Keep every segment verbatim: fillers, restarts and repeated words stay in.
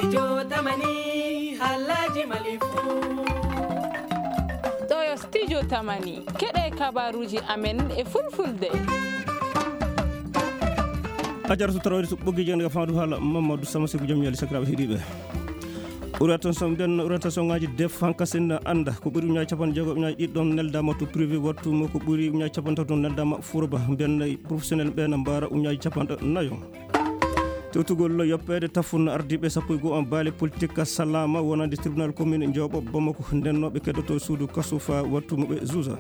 Studio Tamani, halaji malifu. Ɗo yo Studio Tamani, keɗe kabaruji amen e fulfulde. A jaratu tarawde to ɓoggi jangde ka fandu hala Mamadou Sama Seku jam yali sakiraɓe heɗiɓe. Ɓurata son ɓen, ɓurata son ngaji def hankasin anda ko ɓuri uñaji capanɗe jeego uñaji ɗiɗi ɗon neldama to privé wattu mo ko ɓuri uñaji capanɗe tato neldama furoba ɓen professionnel ɓen mbara uñaji capanɗe nayo. Tewtugol yoppeede tafun ardiiɓe sappo e goo on baale politik salaama wonande tribunal commune Njooɓo Bamako ndennooɓe keddoto suudu kaso faa wattu mo ɓe juusa.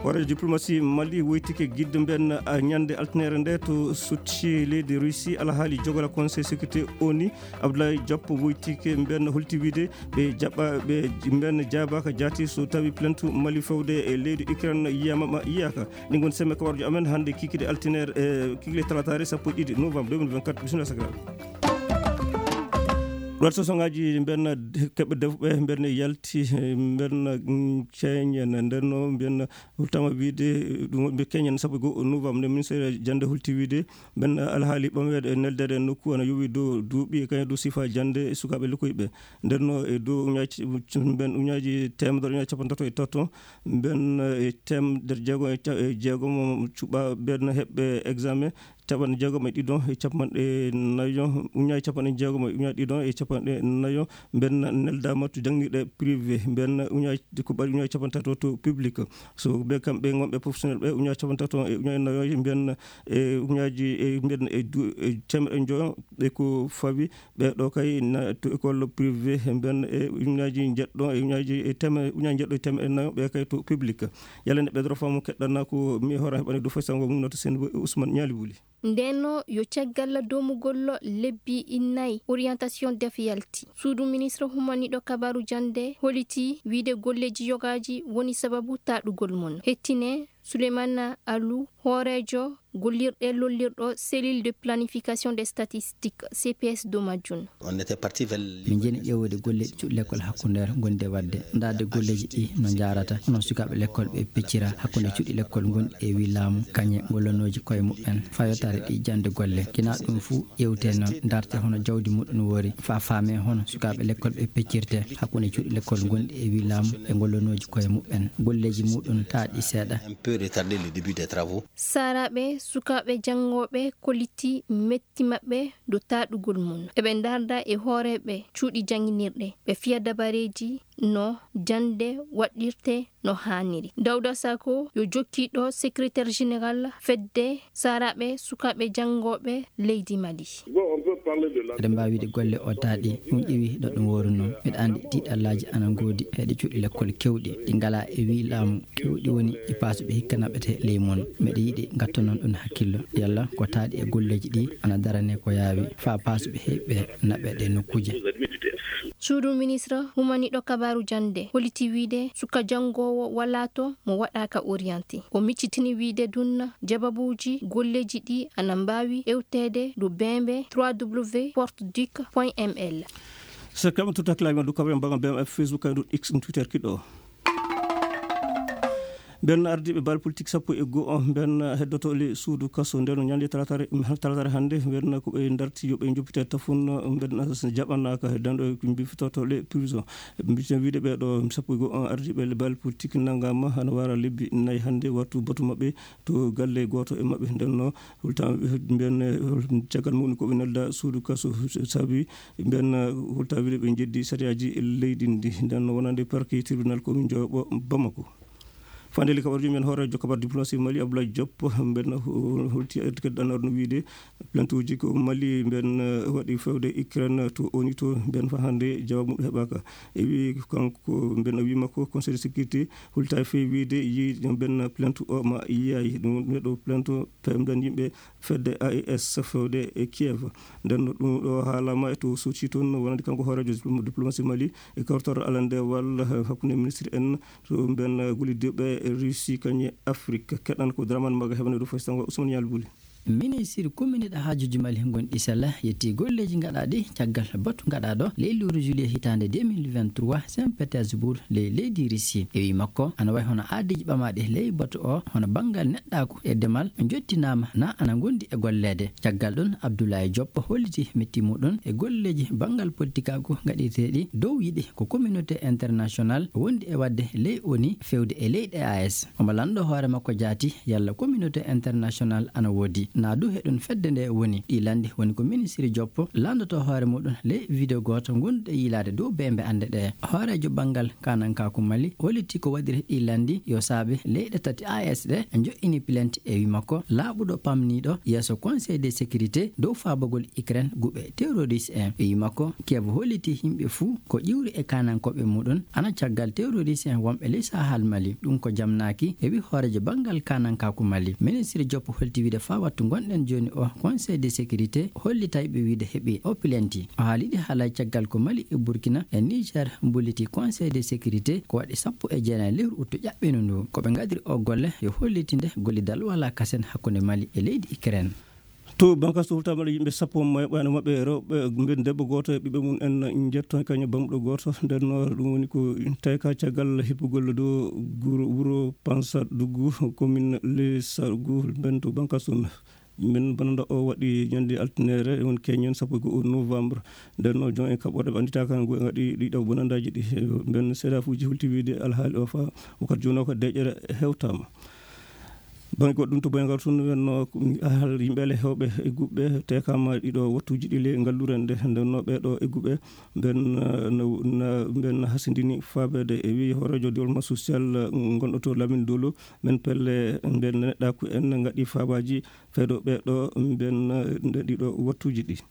Hooreejo diplomatie Mali woytike gidde mben a ñande altinere nde to sotti leydi Russie alhaali jogola conseil sécurité O N U Abdoulaye Diop woytike mben holti wiide ɓe jaɓɓa ɓe mben jaabaaka jaati so tawi plainte Mali fewde e leydi Ukraine yiyama ma yiyaaka. Ɗi ngoni semme kawarjo amen hannde kikide altinere e kikide talataare sappo e ɗiɗi novembre deux mille vingt-quatre. Bisimilla sakiraaɓe. Ɗuwat sosongaaji mbenna keɓɓe defuɓe mbenna yalti mbenna ceeñen ndenno mbenna hultama wiide ɗum wonɓe keñen sappo e goo novembre nde ministére jannde hulti wiide mbenna alhaali ɓameede e neldeede e nokku ana yowi dow duuɓi e kañum dow sifa jannde e sukaaɓe lokkoyɓe ndenno e dow uñaaji mben uñaaji teemedere uñaaji capanɗe tato e tato mbenna e teemedere jeego e jeegomo cuɓa mbenna heɓɓe examen capanɗe jeegom e ɗiɗon e capanɗe nayo uñaji capanɗe jeegom e uñaji ɗiɗon e capanɗe nayo mbenna neldama to jangnirɗe privé mbenna uñaji ko ɓaɗi uñaji capanɗe tato to public so ɓe kamɓe gonɓe professionnel ɓe uñaji capanɗe tato e uñaji nayo mbenna e uñaji e mbenna e temeɗe joyo ɓe ko fawi ɓe ɗo kay to école privé mbenna e uñaji jeɗɗo e uñaji e teme uñaji jeɗɗo e temeɗe nayo ɓe kay to public yalande ɓe doro famu keɗɗana ko mi hoora heɓani du faysango mum noto sen ousmane ñaali wuli Ndeenno yo caggal doomugol lebbi nayi orientation def yalti, suudu ministre humaniiɗo kabaaru jannde holiti wiyde golleeji yogaaji woni sababu taaɗugol mum. Hettine Souleymane Alou, hooreejo gollirɗe lollirɗo cellule de planification des statistiques, C P S, dow majjum. Min njeni ƴeewude golleeji cuuɗi lekkol hakkundeere ngonɗi e waɗde, ndaarde golleeji ɗi no njaarata, hono sukaaɓe lekkol ɓe peccira hakkunde cuuɗi lekkol ngonɗi e wii laamu, kañe ngollanooji koye muɓɓen, faa yottaade ɗi jannde golle. Kinaa ɗum fuu, ƴeewte noon, ndaarte hono jawdi muɗum woori, faa faamee hono sukaaɓe lekkol ɓe peccirtee hakkunde cuuɗi lekkol ngonɗi e wii laamu e ngollanooji koye muɓɓen, golleeji muɗum taaɗi seeɗa. Saaraaɓe sukaaɓe janngooɓe kollitii metti maɓɓe dow taaɗugol mum. Eɓe ndaarda e hooreeɓe cuuɗi jannginirɗe, ɓe fiya dabareeji no jannde waɗirtee no haaniri. Dawda Sako yo jokkiiɗo secrétaire général fedde saaraaɓe sukaaɓe janngooɓe leydi Mali. Eɗen mbaawi wiide golle o taaɗi, ɗum ƴeewi no ɗum woorunoo. Mbeɗa anndi tiiɗallaaji ana ngoodi e ɗi cuuɗi lekkol keewɗi, ɗi ngalaa e wii laamu. Keewɗi woni e paasuɓe hikka naɓete ley mum. Mbeɗa yiɗi ngattonon ɗum hakkillo. Yalla ko taaɗi e golleeji ɗi ana darane ko yaawi faa paasuɓe heɓɓe naɓe ɗe nokkuuje. Suudu ministre humaniiɗo kabaaru jannde holliti wiide suka janngoowo walaa to mo waɗaaka orienté. O miccitini wiide ɗum jababuuji golleeji ɗi ana mbaawi ƴeewteede dow beembe trois w porte duc point m l. Sakiraaɓe tutta kilaaji men du kabarin bagan B M F Facebook kay du X ɗum Twitter kiɗo. Ɓen ardiiɓe baal politik sappo e goo on ɓen heddoto le suudu kaso nden ñande talatare talatare hannde ɓen ko ɓe darti yo ɓe joppite tafun ɓen jaɓanaaka dan ɗo mbifitoto le prison. Mbiten wiide ɓe ɗo sappo e goo on ardiiɓe le baal politik nanngama hana wara lebbi nayi hannde wattu batu maɓɓe to galle gooto e maɓɓe ndenno hulta mbiyan caggal muɗum ko ɓe nelda suudu kaso saabi mbiyan hulta wiide ɓe jeddi sariyaaji leydi ndi ndenno wonande parquet tribunal commune Diobo Bamako. Fandeli kabar jum en hooreejo kabar diplomatie Mali Abdoulaye Diop mbiyan holti keddanor no wiide plainte uji ko Mali mbiyan waɗi fewde Ukraine to oni to mbiyan fa hannde jawab muɗum heɓaka e wi kanko mbiyan o wima ko conseil de sécurité hulta e fewi wiide yi mbiyan plainte o ma yiyayi ɗum neɗɗo plainte pewden yimɓe fedde A E S fewde e Kiev. Nden no ɗum ɗo haalama e to soci toon no wonande kanko hooreejo diplomatie Mali e kawtorɗo alande walla hakkunde ministre en to mben gollidiɓe Russie kañe Afrique keɗan ko Dramane Maga heɓande ɗo fof sango Ousmane Yalbuli. Ministre kominɗo haajuuji Mali ngonɗi sella yettii golleeji gaɗaaɗi caggal batu gaɗaaɗo ley lewru juillet hitaande deux mille vingt-trois Saint Petersbourg ley leydi Russie. E wii makko, ana wayi hono aadiiji ɓamaaɗi ley batu o, hono banngal neɗɗaaku e demal, njottinaama na ana ngondi e golleede. Caggal ɗum, Abdoulaye Diop holliti metti muɗum e golleeji banngal politikaaku gaɗirteeɗi dow yiɗi ko communauté international wondi e waɗde ley O N U fewde e leyɗe A E S. Omo lanndoo hoore makko jaati yalla communauté international ana woodi. Naa du heɗum fedde nde woni. Ɗii lanndi woni ko ministre Diop lanndotoo hoore muɗum ley video gooto ngonɗo yiilaade dow beembe annde ɗe. Hooreejo banngal kaanankaaku Mali hollitii ko waɗiri ɗii lanndi yo saabe leyɗe tati A E S ɗe njo'ini plainte e wii makko laaɓuɗo pamniiɗo yeeso Conseil de sécurité dow faabagol Ukraine guɓe terroriste en. E wii makko, Kiev hollitii yimɓe fuu ko ƴiwri e kaanankooɓe muɗum ana caggal terroriste en wonɓe ley Sahel Mali. Ɗum ko jamnaaki, e wii hooreejo banngal kaanankaaku Mali. Ministre Diop holti wiide faa wattu ngonɗen jooni o Conseil de sécurité hollitay ɓe wiide heɓi o plainte. O haali ɗi haalay caggal ko Mali e Burkina e Niger mbulliti Conseil de sécurité ko waɗi sappo e jeenayi lewru uttu ƴaɓɓino ndu. Ko ɓe ngadiri o golle yo hollitinde gollidal walaa kasen hakkunde Mali e leydi Ukraine. To bankasu hultamaɗo yimɓe sappo mayɓano maɓɓe rewɓe, mben debbo gooto e ɓiɓɓe mum en njetto kañum bamɗo gooto. Nden noon ɗum woni ko tawka caggal hippugol dow guro wuro Pansa Duggu, commune Lissargu, mben to bankasu. Mben bonanda o waɗi ñande altinere, woni keñen sappo e go'o novembre. Nden noon joom en kaɓɓoɗe ɓe annditaaka no ngaɗi ɗiɗo bonandaaji ɗi. Mben seeɗa fuuji hulti wiide alhaali o fa wakkati jooni o ko deƴƴere hewtaama. Bannge goɗɗum to Boyngal tun, wenno ahal yimɓe ale hewɓe e guɓɓe tekama ɗiɗo wattuji ɗi le ngallure nde, ndenno ɓeɗo e guɓɓe ɓen, eh, na, na, ɓen hasindini faabede e wi hoorejo développement social, eh, gonɗo to Lamine Dolo, ɓen pelle ɓen neɗɗaku en ngaɗi faabaji fewdo ɓeɗo ɓen, eh, nde ɗiɗo wattuji ɗi.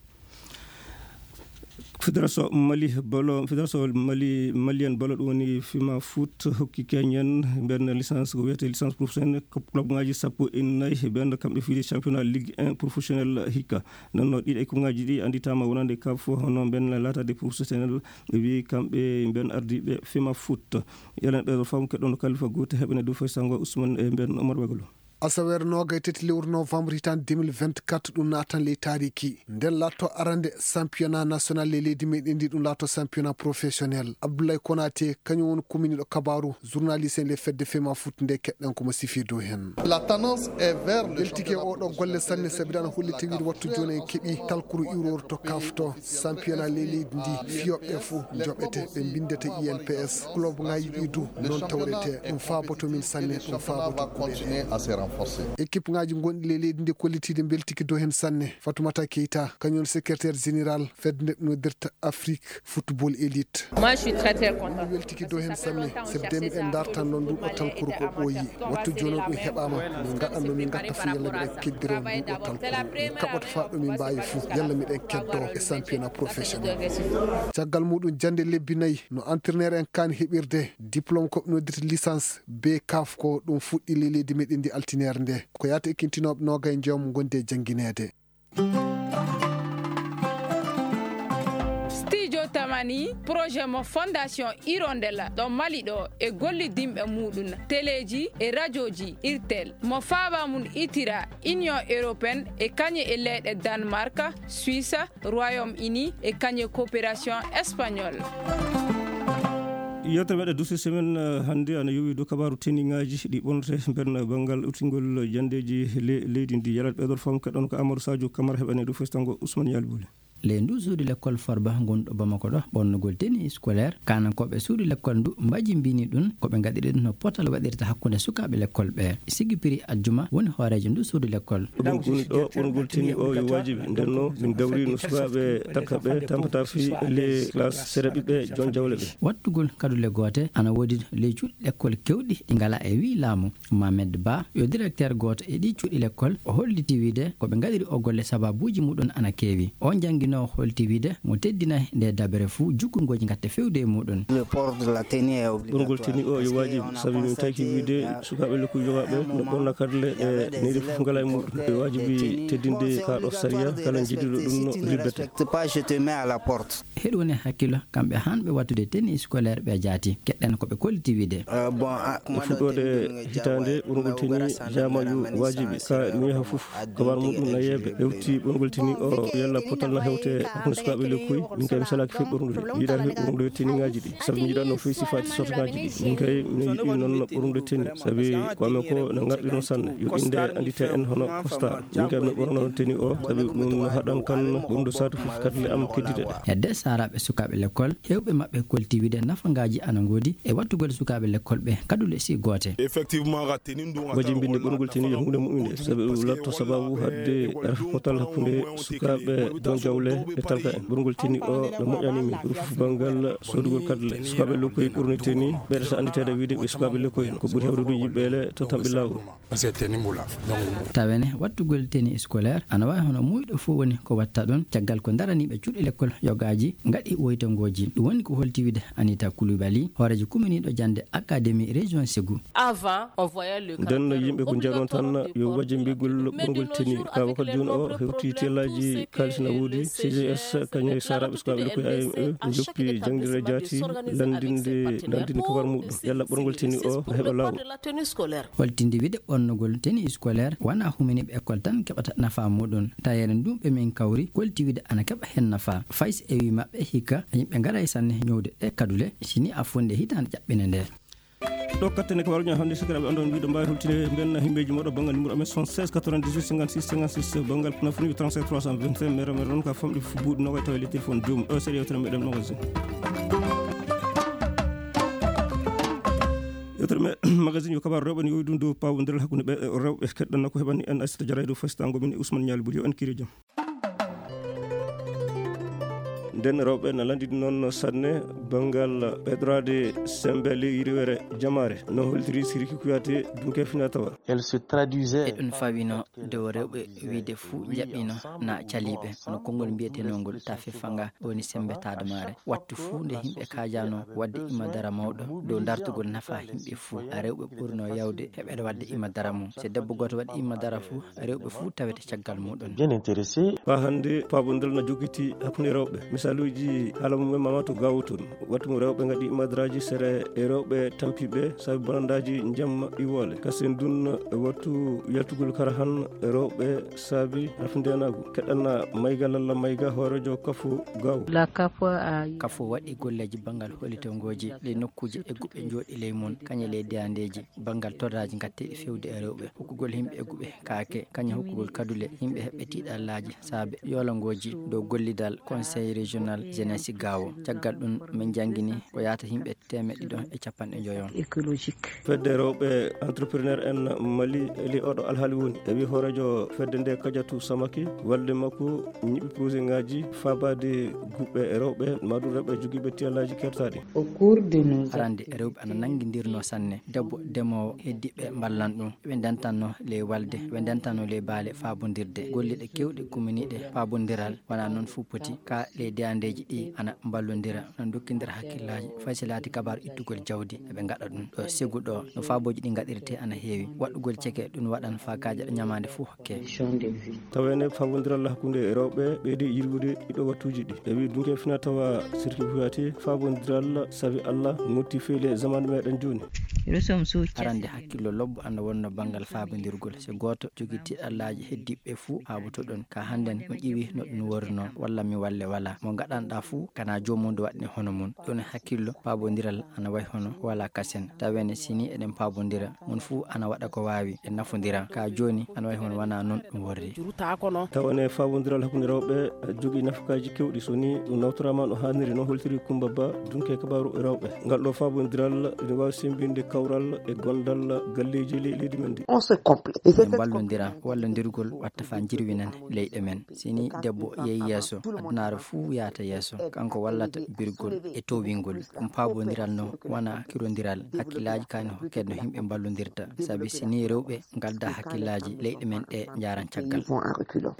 Fédération Mali Ballon, Fédération Mali, Malienne Ballon, ɗum woni Fima Foot, hokki keñen ɓen licence, ko wiyetee licence professionnelle, ko club ngaji sappo e nayi ɓen, kamɓe fiyde championnat Ligue un professionnel hikka. Nden noon, ɗiɗi e kuɓŋaaji ɗi annditaama wonande kaf, hono ɓen laataade professionnel, ɓe wi kamɓe ɓen ardiiɓe Fima Foot. Elen ɓe fam keɗɗon Kalifa Goute, heɓene dow fay sango Ousmane e ɓen Omar Bagalo. Asaweere noogay tati lewru novembre hitaande deux mille vingt-quatre, ɗum naatan ley taariki. Nden laatto arande championnat national ley leydi meɗen ndi, ɗum laatto championnat professionnel. Abdoulaye Konaté, kañum woni kuminiɗo kabaaru, journaliste en ley fedde Fema Foot nde, keɗɗen ko mo sifi dow hen. La tendance est vers le Weltike championnat oɗo golle sanne, sabi ɗan holli tawiide wattu jooni en keɓi talkuru iwrooru to kaf to. Championnat ley leydi ndi, fiyooɓe fof njoɓete, ɓe mbindete I N P S. Club ngaji ɗi du, noon tawrete. Ɗum faaboto min sanne, ɗum faaboto kuɓeɗe. Équipe ngaji gonɗi ley leydi ndi kollitiiɗi mbeltiki dow hen sanne. Fatoumata Keita, kañum woni secrétaire général fedde nde noddirta Afrique Football Elite. Moi, je suis très, très content. Mi weltiki dow hen sanne, sabi de miɗen dartan noon nduɗo talkuru ko ɓooyi. Wattu jooni o ɗum heɓaama, min ngaɗan no min ngatta fof yalla miɗen keddiro nduɗo talkuru. Min kaɓoto faa ɗo min mbaawi fof, yalla miɗen keddo e championnat professionnel. Caggal muɗum jannde lebbi nayi, no entraîneur en kaani heɓirde diplôme ko noddirta licence B kaf ko ɗum fuɗɗi ley leydi meɗen ndi altinere nde. Ko yaata e kintinooɓe noogay njoom gondi e janngineede. Studio Tamani, projet mo Fondation Hirondelle ɗo Mali ɗo e gollidinɓe muɗum, teleji e rajoji Irtel, mo faaba mum itira Union Européenne e kañe e leyɗe Danemark, Suisse, Royaume-Uni e kañe coopération espagnole. Yewtere meɗen Douce Semaine, eh, hannde ana yowi dow kabaaru teniŋaaji ɗi ɓornete nder banngal udditgol janndeeji le-, leydi ndi. Yalaaɓe ɓeɗon fam keɗon ko Amadou Sadio Camara heɓane dow festango Ousmane Yali Boli. Ley ndu suudu lekkol Farba ngonɗo Bamako ɗo, ɓornugol tenue scolaire, kaanankooɓe suudu lekkol ndu mbajimbini ɗum, ko ɓe ngaɗiri ɗum no potal waɗirta hakkunde sukaaɓe lekkol ɓe. Sigi Piri Ajjuma woni hooreejo ndu suudu lekkol. Ɗum woni ɗo ɓornugol tenue o yo waajibi. Nden no min dawri no sukaaɓe takkaɓe tampata fii les classes sere ɓiɓɓe jon jawle ɓe. Wattugol kadule goote ana woodi ley cuuɗi lekkol kewɗi ɗi ngalaa e wii laamu. Mohamed Ba, yo directeur gooto e ɗii cuuɗi lekkol, o holliti wiide ko ɓe ngaɗiri o golle sababuuji muɗum ana keewi. O jannginoowo holliti wiide mo teddinay nde dabere fuu jukkungooji ngatte fewde e muɗum. Le port de la tenue est obligatoire. Ɓorngol tenue o yo waajibi, sabi min tawki wiide sukaaɓe lekkuuji yogaaɓe no ɓorna kadule ɗe neri fof ngalaa e muɗum. Yo waajibi teddinde kaa ɗo sariya, kala njiɗiiɗo ɗum no libbete. Pas, je te mets à la porte. Heɗu woni hakkillo kamɓe hanɓe wattude tenue scolaire ɓe jaati. Keɗɗen en ko ɓe kolliti wiide. E fuɗɗoode hitaande ɓurngol teni jaamayu waajibi ka mi yaha fof, kabar muɗum na yeebe hewti ɓurngol teni o yalla potal na hewte hakkunde sukaaɓe lekkoy. Min kay mi salaaki fii ɓurngol, mi yiɗaaki fii ɓurngol teniŋaaji ɗi, sabi mi yiɗaano fii sifaaji sortagaaji ɗi. Min kay mi yiɗi noon ɓurngol teni, sabi ko amen ko na ngarɗi noon sanne, yo innde anndite en hono kosta. Min kay mi ɓurno teni o, sabi ɗum no haɗan kan ɓurndu saatu fof kadi le am keddite ɗe. Hedde saaraaɓe sukaaɓe lekkol, heewɓe maɓɓe kolti wiide nafangaaji ana ngoodi e wattugol sukaaɓe lekkol ɓe kadule si goote. Wajimbinde ɓurngol teni yo huunde mu'unde, sabi ɗum latto sababu haɗde rafi potal hakkunde sukaaɓe don jawle e talka en. Ɓurngol teni o no moƴƴani min, ɗum fof banngal soodugol kadule. Sukaaɓe lekkoy ɓurni teni, ɓeɗata annditeede wiide ɓe sukaaɓe lekkoy, ko ɓuri hewde ɗum yiɓɓeele to tamɓe laawol. Tawene wattugol teni scolaire ana waawi hono muuyɗo fof woni ko watta ɗon, caggal ko daraniiɓe cuuɗi lekkol yogaaji ngaɗi woytangooji. Ɗum woni ko holti wiide Anita Coulibaly, hooreejo kuminiiɗo jannde Académie Région Ségou. Avant, on voyait le Nden no yimɓe ko njanon tan yo wajimbigol ɓurngol teni. Ka wakkati jooni o hewti tellaaji kaalis na woodi, C G S, kañum e saaraaɓe sukaaɓe lekkoy A M E, njoppi jangdire jaati, lanndinde, lanndinde kabar muɗum. Yalla ɓurngol teni o na heɓa laawol. Holtinde wiide ɓornugol teni scolaire wona huminiiɓe école tan keɓata nafa muɗum. Tayere ndun ɓe min kawri kolti wiide ana keɓa heen nafa. Fay so ewi maɓɓe hikka yimɓe ngaray sanne ñowde ɗe kadule, si ni a fonde hitaande ƴaɓɓine nde. Ɗo katten e kabaruji hannde, sakiraaɓe, on ɗon mbiɗo mbaawi hultinde mbenna himɓeji moɗo banngal numéro amen soixante-seize quatre-vingt-dix-huit cinquante-six cinquante-six, banngal Kafrine trente-sept trois cent vingt-cinq, mere mere noon ka famɗi fof buuɗi nogaye tawa e ley téléphone joomum. Ɗo seeɗa yewtere meɗen magazine. Yewtere me-, magazine yo kabaru rewɓe ne yowi ɗum dow pawondiral hakkunde ɓe rewɓe. Keɗɗan ko heɓani en Aissata Diarra e dow faystaango min e Ousmane Nialy Boudio, en kiiri jam. Nden rewɓe na lanndini noon sanne banngal ɓeydorade semmbe ley yirwere jamaare, no holtiri Siriki Kuyate dunke fina tawa. Elle se traduisait. Eɗum fawino dow rewɓe wiide fuu njaɓɓino na caliiɓe, hono konngol mbiyetenoo ngol ta fefanga woni semmbe taadamaare. Wattu fuu nde yimɓe kaajano waɗde imadara mawɗo dow dartugol nafa yimɓe fuu, rewɓe ɓurno yawde heɓeede waɗde imadara mum. So debbo gooto waɗi imadara fuu, rewɓe fuu tawete caggal muɗum. Bien intéressé. Haa hannde paabondal na jogiti hakkunde rewɓe. Misaaluuji haala mum en Mamatu Gawo toon. Wattu mo rewɓe ngaɗi imadaraaji sere e rewɓe tampiiɓe saabi bonandaaji jamma iwoole. Kasen dun e wattu yaltugol kara han rewɓe saabi rafindeenaagu. Keɗanna Mayga Lalla Mayga hooreejo Kafo Gawo. La Kafo a Kafo waɗi golleeji banngal holitongooji ley nokkuuji egguɓe njooɗi ley mum, kañe ley deyandeeji. Banngal torraaji ngatteeɗi feewde e rewɓe, hokkugol yimɓe egguɓe kaake, kañum hokkugol kadule yimɓe heɓɓe tiiɗallaaji saabe yoolangooji dow gollidal Conseil Régional Jeunesse Gaawo. Caggal ɗum, min njanngini ko yaata yimɓe teemeɗɗe ɗiɗo e capanɗe njoyo. Écologique. Fedde rewɓe entrepreneur en Mali, eli oɗo alhaali woni. E wi hooreejo fedde nde Kadiatou Samaki, walde makko ñiɓi projet ngaji faabaade guɓɓe rewɓe, maɗum rewɓe jogiiɓe tiyallaaji kertaaɗi. Au cours de nos Arande rewɓe ana nanngindirno sanne. Debbo demoowo heddiiɓe mballan ɗum. Ɓe ndentanno ley walde, ɓe ndentanno ley baale faabondirde. Golleeji keewɗi kumminiiɗi faabondiral wona noon fuu poti. Ka ley deyandeeji ɗi ana mballondira, ana ndokkindira hakkillaaji. Fay so laati kabaru ittugol jawdi, eɓe ngaɗa ɗum. Ɗo Segu ɗo, no faabooji ɗi ngaɗirte ana heewi. Waɗugol ceke ɗum waɗan faa kaajaɗo ñamaande fuu. Taweende faabondiral hakkunde rewɓe ɓeydi yirwude ɗiɗo wattuuji ɗi. E wi dunke fina tawa Sirki Kuyate, faabondiral sabi Allah motti feele zaman meɗen jooni. Arande hakkillo lobbo ana wonno banngal faabondirgol. So gooto jogii tiiɗallaaji heddiiɓe fuu haaboto ɗon. Ka hannden mo ƴiwi no ɗum worno, walla mi walle wala. Mo ngaɗanɗa fuu kana joomum waɗni hono mum. Ɗon hakkillo faabondiral ana wayi hono wala kasen. Taweende si ni eɗen faabondira, mon fuu ana waɗa ko waawi, en nafondira. Ka jooni, ana wayi hono wona noon ɗum worri. Tawa ne faabondiral hakkunde rewɓe jogii nafakaaji keewɗi, so ni ɗum nawtoraama no haaniri, no holtiri Kumba Ba, dunke kabaaru rewɓe. Ngal ɗo faabondiral ina waawi semmbinde kawral e gondal galleeji ley leydi men ndi. On se complète. En mballondira, wallondirgol watta faa njirwinan leyɗe men. Si ni debbo yehi yeeso, adunaaru fuu yahata yeeso. Kanko wallata birgol e towingol. Ɗum faabondiral no wona kirondiral hakkillaaji kaani hokkede no yimɓe mballondirta. Sabi si ni rewɓe ngalda hakkillaaji, leyɗe men ɗe njaaran caggal.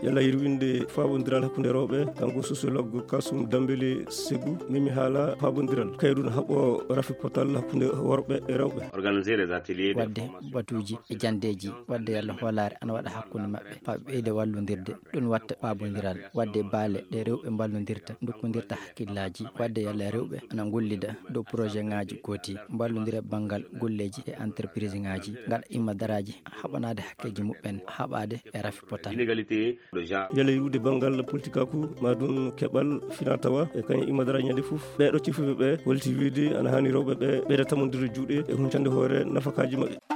Yalla yirwinde faabondiral hakkunde rewɓe, kanko sociologue Kasum Dambele Segu, memi haala faabondiral. Kayru no haɓo rafi potal hakkunde worɓe e rewɓe. Organiser des ateliers de waɗde formation batuuji e janndeeji, waɗde yalla hoolaare ana waɗa hakkunde maɓɓe, faa ɓe ɓeyda wallondirde. Ɗum watta paabondiral, waɗde baale ɗe rewɓe mballondirta, ndokkondirta hakkillaaji, waɗde yalla rewɓe ana ngollida dow projet ŋaaji gooti, mballondira banngal golleeji e entreprise ŋaaji, ngaɗa imma daraaji haɓanaade hakkeeji muɓɓen, haɓaade e rafi potal. Inégalité de genre. Yalla iwde banngal politikaaku, ma ɗum keɓal fina tawa, e kañum imma daraaji ñande fof. Ɓee ɗo cifuɓe ɓe, holti wiide ana haani rewɓe ɓe ɓeyda tamondirde juuɗe e huncande hoore nafakaaji maɓɓe.